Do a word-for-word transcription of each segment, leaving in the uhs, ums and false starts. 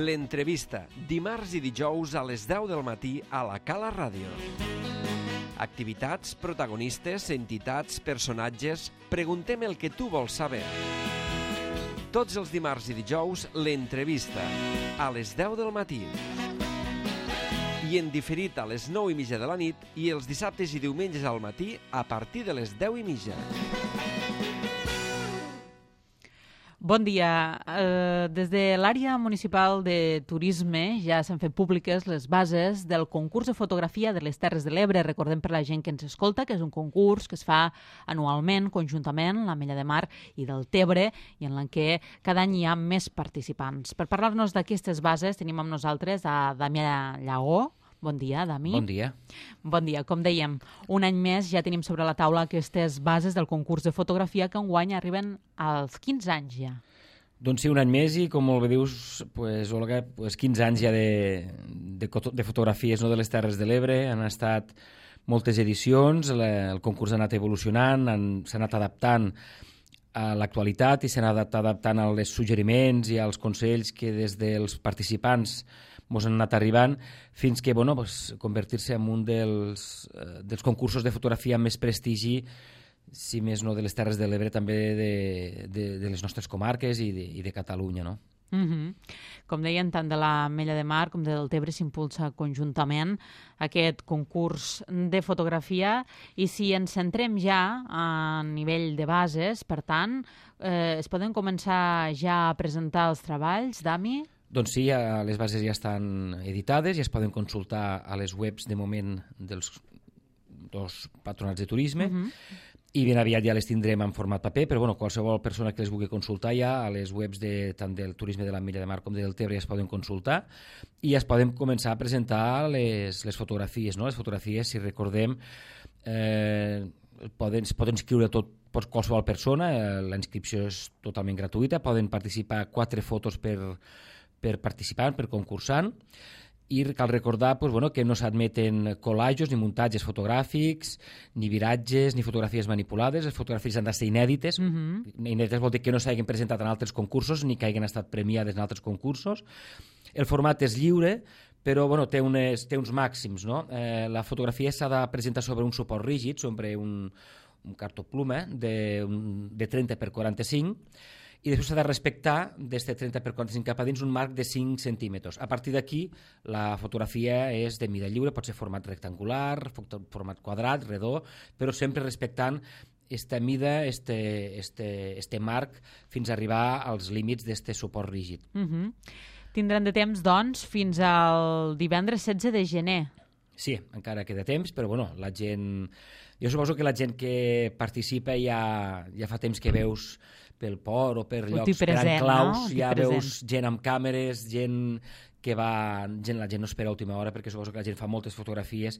L'entrevista, dimarts i dijous a les deu del matí a la Cala Ràdio. Activitats, protagonistes, entitats, personatges... Preguntem el que tu vols saber. Tots els dimarts i dijous, l'entrevista, a les deu del matí. I en diferit a les nou i mitja de la nit i els dissabtes i diumenges al matí a partir de les deu i mitja. Bon dia. Eh, des de l'àrea municipal de turisme ja s'han fet públiques les bases del concurs de fotografia de les Terres de l'Ebre. Recordem per la gent que ens escolta que és un concurs que es fa anualment, conjuntament, l'Ametlla de Mar i del Tebre, i en la què cada any hi ha més participants. Per parlar-nos d'aquestes bases tenim amb nosaltres a Damià Llagó. Bon dia, Dami. Bon dia. Bon dia. Com dèiem, un any més ja tenim sobre la taula aquestes bases del concurs de fotografia que enguany arriben als quinze anys ja. Doncs sí, un any més i, com molt bé dius, pues, Olga, pues quinze anys ja de, de, de fotografies, no, de les Terres de l'Ebre. Han estat moltes edicions, la, el concurs ha anat evolucionant, s'ha anat adaptant a l'actualitat i s'ha anat adaptant als suggeriments i als consells que des dels participants ens han anat arribant, fins que bueno, pues, convertir-se en un dels, eh, dels concursos de fotografia amb més prestigi, si més no de les Terres de l'Ebre, també de, de, de les nostres comarques i de, i de Catalunya, no? Mm-hmm. Com deien, tant de l'Ametlla de Mar com del Tebre s'impulsa conjuntament aquest concurs de fotografia, i si ens centrem ja a nivell de bases, per tant, eh, es poden començar ja a presentar els treballs, Dami? Doncs sí, ja, les bases ja estan editades, ja es poden consultar a les webs de moment dels dos patronats de turisme, uh-huh. i ben aviat ja les tindrem en format paper, però bueno, qualsevol persona que les vulgui consultar ja a les webs de, tant del turisme de l'Ametlla de Mar com del Tebre ja es poden consultar i ja es poden començar a presentar les, les fotografies, no? Les fotografies, si recordem, eh, poden, es poden inscriure tot qualsevol persona, eh, la inscripció és totalment gratuïta, poden participar quatre fotos per per participant, per concursant, i cal recordar pues, bueno, que no s'admeten collages ni muntatges fotogràfics, ni viratges, ni fotografies manipulades. Les fotografies han de ser inèdites. Uh-huh. Inèdites vol dir que no s'hagin presentat en altres concursos ni que hagin estat premiades en altres concursos. El format és lliure, però bueno, té, unes, té uns màxims. No? Eh, la fotografia s'ha de presentar sobre un suport rígid, sobre un, un cartopluma de, un, de trenta per quaranta-cinc, i després s'ha de respectar des de trenta per quaranta-cinc cap a dins un marc de cinc centímetres. A partir d'aquí la fotografia és de mida lliure, pot ser format rectangular, format quadrat, redó, però sempre respectant esta mida, este, este, este marc, fins a arribar als límits d'este suport rígid. Uh-huh. Tindran de temps, doncs, fins al divendres setze de gener. Sí, encara queda temps, però bueno, la gent... Jo suposo que la gent que participa ja, ja fa temps que veus pel port o per llocs, present, per enclaus, no? ja present. Veus gent amb càmeres, gent que va... Gent, la gent no espera a última hora perquè suposo que la gent fa moltes fotografies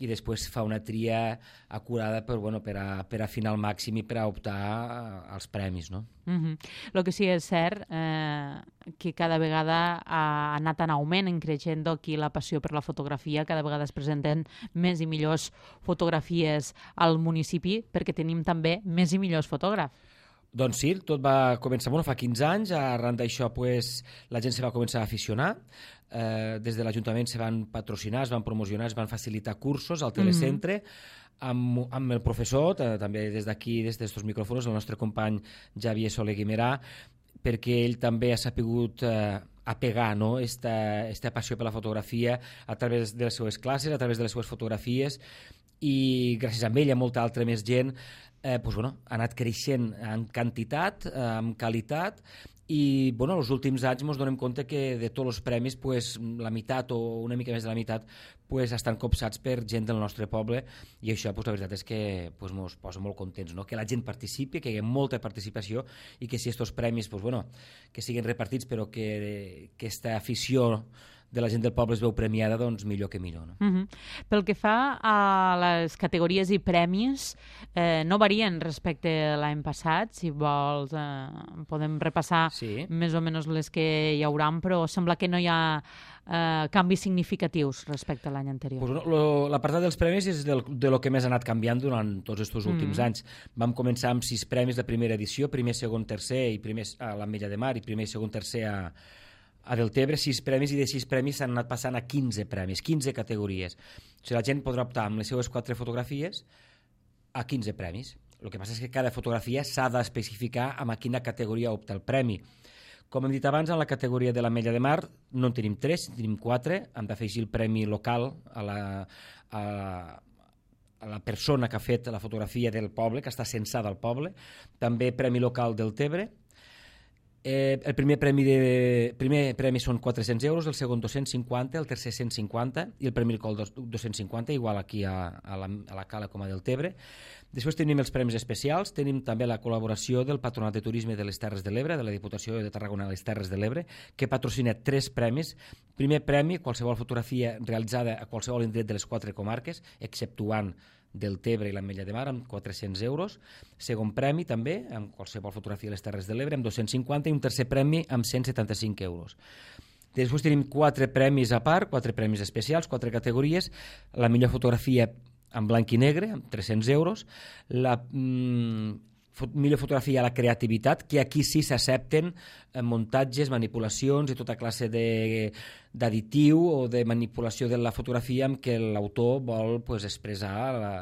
i després fa una tria acurada per, bueno, per, a, per afinar al màxim i per a optar als premis, no? Uh-huh. El que sí és cert eh, que cada vegada ha anat en augment, en creixent aquí la passió per la fotografia, cada vegada es presenten més i millors fotografies al municipi perquè tenim també més i millors fotògrafs. Doncs sí, tot va començar, bueno, fa quinze anys, arran d'això pues, la gent se va començar a aficionar, eh, des de l'Ajuntament se van patrocinar, es van promocionar, es van facilitar cursos al telecentre, mm-hmm. amb, amb el professor, també des d'aquí, des d'estos micròfons, el nostre company Javier Soler Guimerà, perquè ell també ha sapigut eh, apegar, no? esta, esta passió per la fotografia a través de les seues classes, a través de les seues fotografies, i gràcies a ell i a molta altra més gent eh, pues, bueno, ha anat creixent en quantitat, eh, en qualitat, i bueno, els últims anys ens donem compte que de tots els premis pues, la meitat o una mica més de la meitat pues, estan copsats per gent del nostre poble, i això pues, la veritat és que pues, ens posa molt contents, no? Que la gent participi, que hi ha molta participació i que si aquests premis pues, bueno, que siguin repartits però que aquesta afició de la gent del poble es veu premiada, doncs millor que millor. No? Uh-huh. Pel que fa a les categories i premis, eh, no varien respecte a l'any passat. Si vols, eh, podem repassar sí. més o menys les que hi haurà, però sembla que no hi ha eh, canvis significatius respecte a l'any anterior. Pues, no, l'apartat dels premis és del, de lo que més ha anat canviant durant tots aquests últims mm. anys. Vam començar amb sis premis de primera edició, primer, segon, tercer, i primer a l'Ametlla de Mar i primer, segon, tercer a a Deltebre sis premis i de sis premis s'han anat passant a quinze premis, quinze categories. O sigui, la gent podrà optar amb les seues quatre fotografies a quinze premis. El que passa és que cada fotografia s'ha d'especificar amb a quina categoria opta el premi. Com hem dit abans, en la categoria de l'Ametlla de Mar no en tenim tres, en tenim quatre. Hem d'afegir el premi local a la, a, a la persona que ha fet la fotografia del poble, que està censada al poble. També premi local del Tebre. Eh, el primer premi, de, primer premi són quatre-cents euros, el segon dos-cents cinquanta, el tercer cent cinquanta i el premi local dos-cents cinquanta, igual aquí a, a, la, a la Cala com a del Tebre. Després tenim els premis especials, tenim també la col·laboració del Patronat de Turisme de les Terres de l'Ebre, de la Diputació de Tarragona a les Terres de l'Ebre, que patrocina tres premis. Primer premi, qualsevol fotografia realitzada a qualsevol indret de les quatre comarques, exceptuant del Tebre i l'Ametlla de Mar, amb quatre-cents euros. Segon premi, també, amb qualsevol fotografia de les Terres de l'Ebre, amb dos-cents cinquanta, i un tercer premi amb cent setanta-cinc euros. Després tenim quatre premis a part, quatre premis especials, quatre categories. La millor fotografia en blanc i negre, amb tres-cents euros. La mm, fot millor fotografia a la creativitat, que aquí sí s'accepten eh, muntatges, manipulacions i tota classe d'additiu o de manipulació de la fotografia amb què l'autor vol pues, expressar la,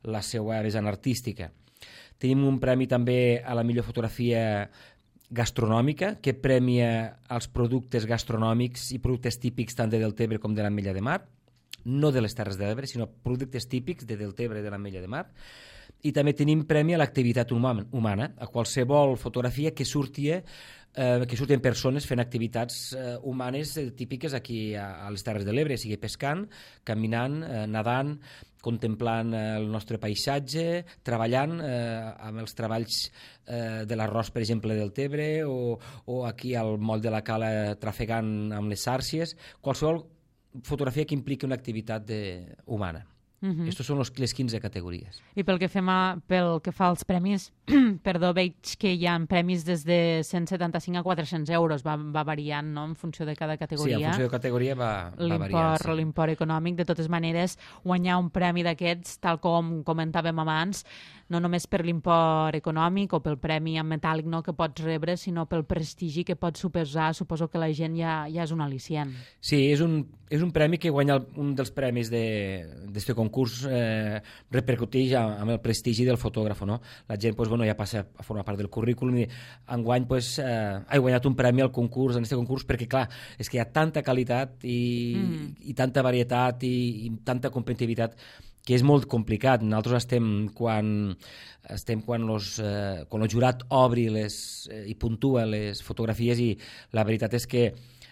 la seva vessant artística. Tenim un premi també a la millor fotografia gastronòmica, que premia els productes gastronòmics i productes típics tant de Deltebre com de l'Ametlla de Mar, no de les Terres de l'Ebre, sinó productes típics de Deltebre i de l'Ametlla de Mar. I també tenim premi a l'activitat humana, a qualsevol fotografia que surti, eh, que surtin persones fent activitats eh, humanes eh, típiques aquí a, a les Terres de l'Ebre, sigui pescant, caminant, eh, nadant, contemplant eh, el nostre paisatge, treballant eh, amb els treballs eh, de l'arròs, per exemple, del Tebre, o, o aquí al moll de la Cala trafegant amb les sàrcies, qualsevol fotografia que impliqui una activitat de, humana. Uh-huh. Estos són los, les quinze categories. I pel que, fem a, pel que fa als premis, perdó, veig que hi ha premis des de cent setanta-cinc a quatre-cents euros, va, va variant, no?, en funció de cada categoria. Sí, en funció de categoria va, va variant. Sí. L'import econòmic, de totes maneres, guanyar un premi d'aquests, tal com comentàvem abans, no només per l'import econòmic o pel premi en metàl·lic, no?, que pots rebre, sinó pel prestigi que pot suposar. Suposo que la gent ja, ja és un al·licient. Sí, és un, és un premi que guanya el, un dels premis d'aquest concurs eh, repercuteix amb el prestigi del fotògraf, no? La gent pues, bueno, ja passa a formar part del currículum i enguany pues, eh, he guanyat un premi al concurs, en aquest concurs, perquè clar, és que hi ha tanta qualitat i, mm. i tanta varietat i, i tanta competitivitat que és molt complicat. Nosaltres estem quan, estem quan, los, eh, quan el jurat obri les, eh, i puntua les fotografies i la veritat és que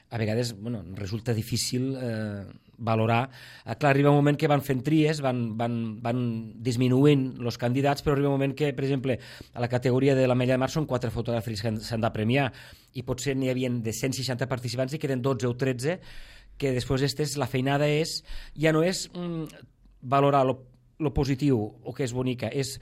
a vegades bueno, resulta difícil eh, valorar. Eh, clar, arriba un moment que van fent tries, van, van, van disminuint els candidats, però arriba un moment que, per exemple, a la categoria de l'Ametlla de Mar són quatre fotografies que s'han de premiar i potser n'hi havia de cent seixanta participants i queden dotze o tretze, que després estes, la feinada és, ja no és mm, valorar lo, lo positiu o que és bonica, és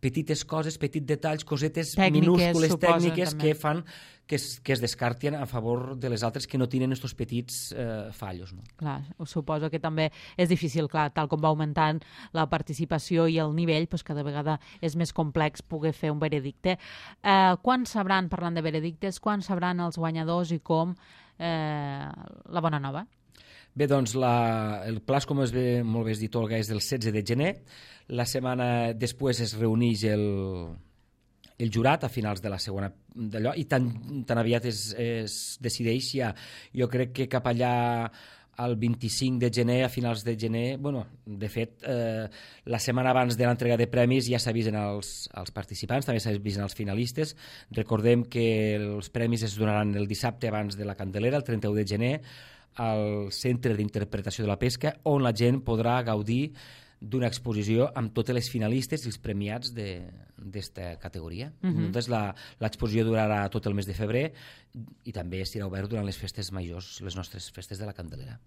petites coses, petits detalls, cosetes tècniques, minúscules, tècniques també. que fan que es, que es descarten a favor de les altres que no tenen aquests petits eh, fallos. No? Clar, suposo que també és difícil, clar, tal com va augmentant la participació i el nivell, doncs cada vegada és més complex poder fer un veredicte. Eh, quan sabran, parlant de veredictes, quan sabran els guanyadors i com eh, la bona nova? Bé, doncs la, el pla, com es ve, molt bé es dit, Olga, és del setze de gener. La setmana després es reuneix el, el jurat a finals de la segona d'allò i tan, tan aviat es, es decideix ja. Jo crec que cap allà al vint-i-cinc de gener, a finals de gener, bueno, de fet, eh, la setmana abans de l'entrega de premis ja s'avisen els, els participants, també s'avisen els finalistes. Recordem que els premis es donaran el dissabte abans de la Candelera, el trenta-u de gener, al Centre d'Interpretació de la Pesca, on la gent podrà gaudir d'una exposició amb totes les finalistes i els premiats d'esta categoria. Uh-huh. Doncs l'exposició durarà tot el mes de febrer i també estarà obert durant les festes majors, les nostres festes de la Candelera.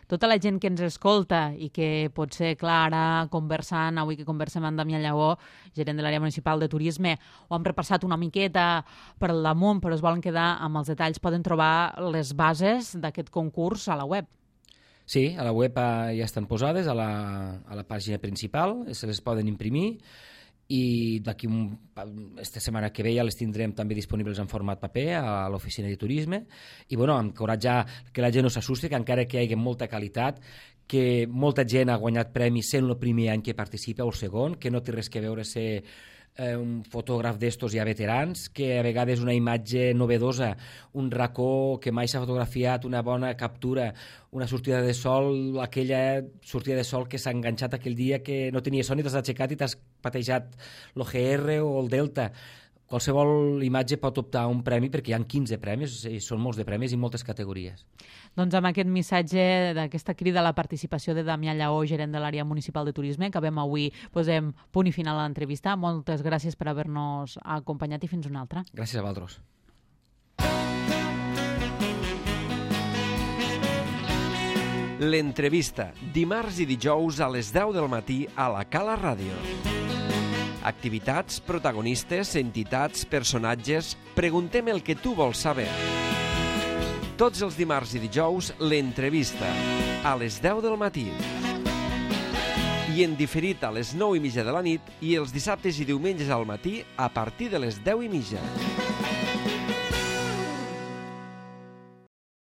Tota la gent que ens escolta i que potser, clar, ara conversant, avui que conversem amb Damià Lleó, gerent de l'àrea municipal de turisme, ho hem repassat una miqueta per damunt, però es volen quedar amb els detalls, poden trobar les bases d'aquest concurs a la web. Sí, a la web ja estan posades, a la, a la pàgina principal, se les poden imprimir i d'aquí un, esta setmana que ve ja les tindrem també disponibles en format paper a l'oficina de turisme i bueno, encoratjar que la gent no s'assusti, que encara que hi hagi molta qualitat, que molta gent ha guanyat premis sent el primer any que participa o el segon, que no té res que veure ser eh, un fotògraf d'estos ja veterans, que a vegades una imatge novedosa, un racó que mai s'ha fotografiat, una bona captura, una sortida de sol, aquella sortida de sol que s'ha enganxat aquell dia que no tenia son i t'has aixecat i t'has patejat l'O G R o el Delta. Qualsevol imatge pot optar a un premi perquè hi ha quinze premis, i són molts de premis i moltes categories. Doncs amb aquest missatge d'aquesta crida a la participació de Damià Lleó, gerent de l'àrea municipal de turisme, acabem avui, posem punt i final a l'entrevista. Moltes gràcies per haver-nos acompanyat i fins una altra. Gràcies a vosaltres. L'entrevista, dimarts i dijous a les deu del matí a la Cala Ràdio. Activitats, protagonistes, entitats, personatges... Preguntem el que tu vols saber. Tots els dimarts i dijous, l'entrevista, a les deu del matí. I en diferit a les nou i mitja de la nit i els dissabtes i diumenges al matí a partir de les deu i mitja.